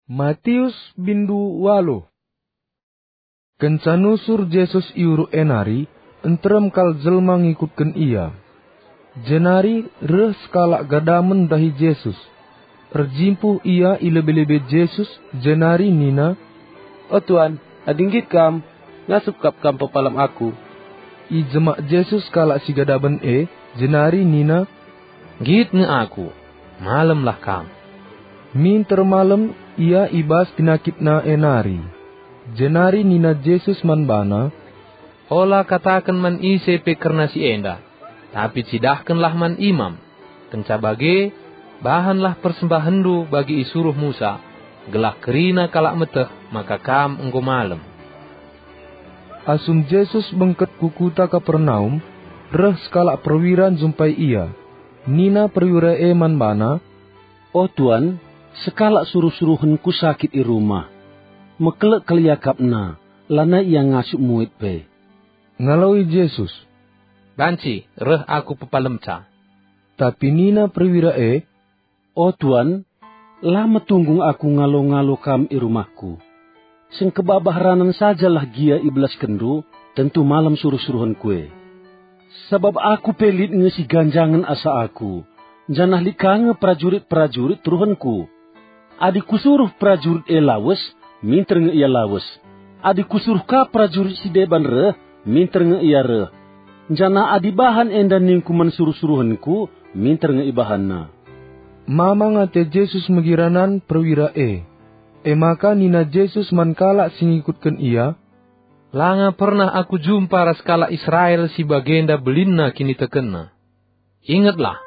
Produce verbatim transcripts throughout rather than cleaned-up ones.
Matius bindu waluh. Kenca nusur Jesus i uruk e nari, nterem kal jelma ngikutken IA. Jenari reh sekalak gadamen ndahi Jesus. Erjimpuh ia i lebe-lebe Jesus, jenari nina, "O Tuan, adi nggit Kam, ngasup kap Kam pepalem aku." Ijemak Jesus kalak si gadamen e, jenari nina, "Nggit nge Aku, malemlah kam." Minter malem ia i bas penakitna e nari. Jenari nina Jesus man bana, "Ola kataken man ise pe kerna si enda, tapi cidahkenlah man imam. Kenca bage, bahanlah persembahenndu bagi isuruh Musa, gelah kerina kalak meteh maka kam enggo malem." Asum Jesus bengket ku kuta Kapernaum, reh sekalak perwira njumpai IA. Nina perwira e man bana, "O Tuan, sekalak suruh-suruhenku sakit i rumah. Mekelek kal iakapna, lanai ia ngasup muit pe." Ngaloi Jesus, "Banci reh Aku pepalemca." Tapi nina perwira e, "O Tuan, la metunggung aku ngalo-ngalo Kam i rumahku. Sengkebabah ranan sajalah gia ibelaskenndu, tentu malem suruh-suruhenku e. Sabap aku pe lit nge si ganjangen asa aku, janah lit ka nge perajurit-perajurit turuhenku. Adi kusuruh perajurit e lawes, minter nge ia lawes. Adi kusuruh ka perajurit si deban reh, minter nge ia reh. Janah adi bahan enda ningku man suruh-suruhenku, minter nge ibahanna." Mamang ate Jesus megi ranan perwira e. E maka nina Jesus man kalak si ngikutken IA, "Langa pernah Aku jumpa ras kalak Israel si bagenda belinna kinitekenna. Ingetlah,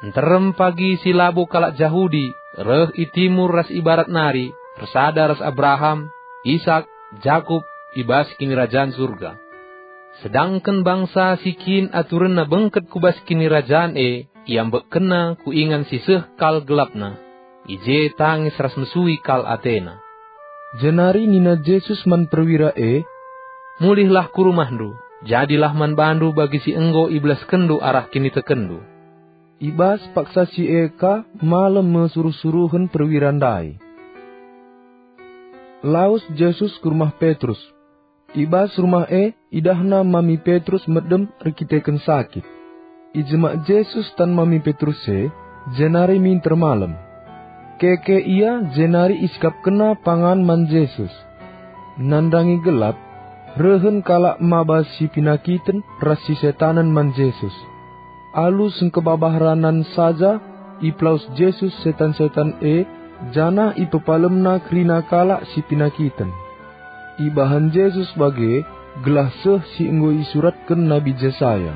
nterem pagi si labo kalak Jahudi reh i timur ras i barat nari ersada ras Abraham, Isak, Jakup i bas Kinirajan Surga. Sedangken bangsa si kin aturenna bengket ku bas Kinirajan e, iambekkenna ku ingan si seh kal gelapna, i je tangis ras mesui kal atena." Jenari nina Jesus man perwira e, "Mulihlah ku rumahndu, jadilah man bandu bagi si enggo ibelaskenndu arah kinitekenndu." I bas paksa si e ka malem me suruh-suruhen perwira ndai. Lawes Jesus ku rumah Petrus. I bas rumah e idahna mami Petrus medem erkiteken sakit. Ijemak Jesus tan mami Petrus e, jenari minter malem. Keke ia jenari isikapkenna pangan man Jesus. Nandangi gelap, rehen kalak maba si penakiten ras si setanen man Jesus. Alu sengkebabah ranan saja, ipelawes Jesus setan-setan e, janah ipepalemna kerina kalak si penakiten. Ibahan Jesus bage, gelah seh si enggo isuratken Nabi Jesaya,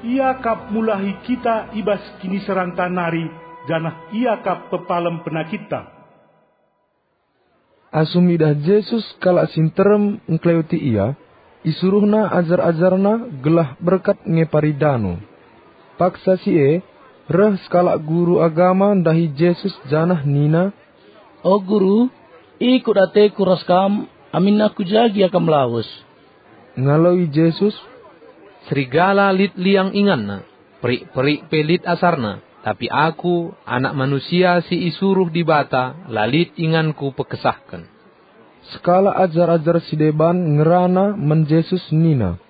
"Ia kap mulahi kita i bas kiniseranta nari, janah Ia kap pepalem penakitta." Asum idah Jesus kalak si nterem engkeleweti Ia, isuruhNa ajar-ajarNa gelah berkat ngepari dano. Paksa si e, reh sekalak guru agama ndahi Jesus janah nina, "O Guru, ikut ateku ras Kam, aminna ku ja gia Kam lawes." Ngaloi Jesus, "Serigala lit liang inganna, perik-perik pe lit asarna, tapi Aku, Anak Manusia si isuruh Dibata, la lit inganKu pekesahken." Sekalak ajar-ajar si deban ngerana man Jesus nina,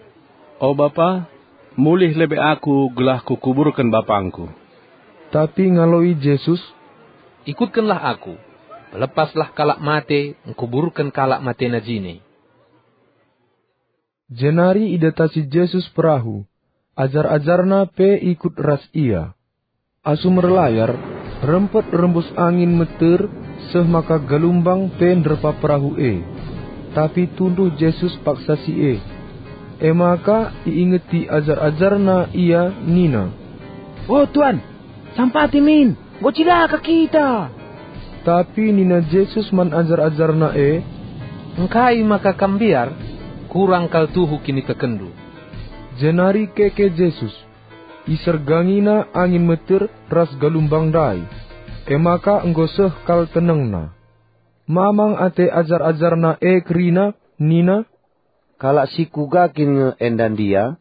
"O Bapa, mulih lebe aku gelah kukuburken bapangku." Tapi ngaloi Jesus, "Ikutkenlah Aku, pelepaslah kalak mate ngkuburken kalak matena jine." Jenari idatasi Jesus perahu, ajar-ajarNa pe ikut ras Ia. Asum erlayar, rempet rembus angin meter seh maka galumbang pe nderpa perahu e. Tapi tunduh Jesus paksa si e. E maka iingeti ajar-ajarNa Ia nina, "O Tuan, sampati min, enggo cilaka kita!" Tapi nina Jesus man ajar-ajarNa e, "Engkai maka kam mbiar? Kurang kal tuhu kinitekenndu." Jenari keke Jesus. IsergangiNa angin meter ras galumbang ndai, e maka enggo seh kal tenengna. Mamang ate ajar-ajarNa e kerina, nina, "Kalak si kuga kin nge enda ndia?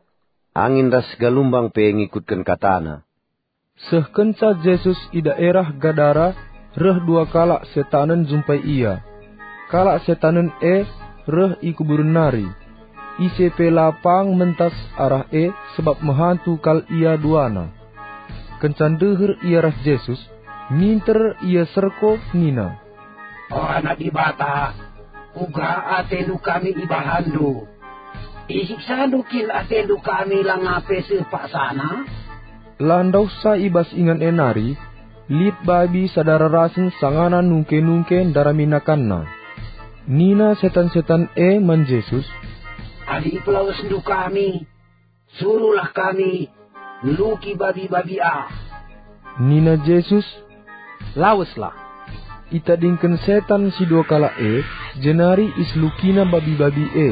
Angin ras galumbang pe ngikutken kataNa." Seh kenca Jesus i daerah Gadara, reh dua kalak setanen jumpai ia. Kalak setanen e reh i kuburen nari. Ise pe la pang mentas arah e, sabap mehantu kal ia duana. Kenca ndeher ia ras Jesus, minter ia serko nina, "O Anak Dibata, kuga atendu kami ibahanndu? Isiksandu kin atendu kami langa pe seh paksana?" La ndauhsa i bas ingan e nari, lit babi sada rarasen sangana nungke-nungke ndarami nakanna. Nina setan-setan e man Jesus, "Adi ipelawesndu kami, suruhlah kami ngeluki babi-babi ah." Nina Jesus, "Laweslah." Itadingken setan si dua kalak e, jenari iselukina babi-babi e.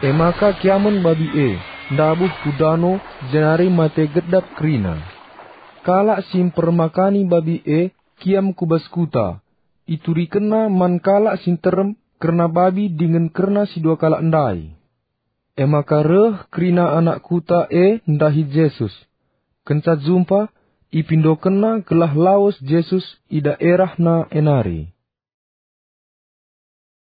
E maka kiamen babi e, ndabuh ku dano, jenari mate gedap kerina. Kalak si mpermakani babi e kiam ku bas kuta, iturikenna man kalak si nterem kerna babi dingen kerna si dua kalak ndai. E maka reh kerina anak kuta e ndahi Jesus. Kenca jumpa, ipindokenna gelah lawes Jesus i daerahna e nari.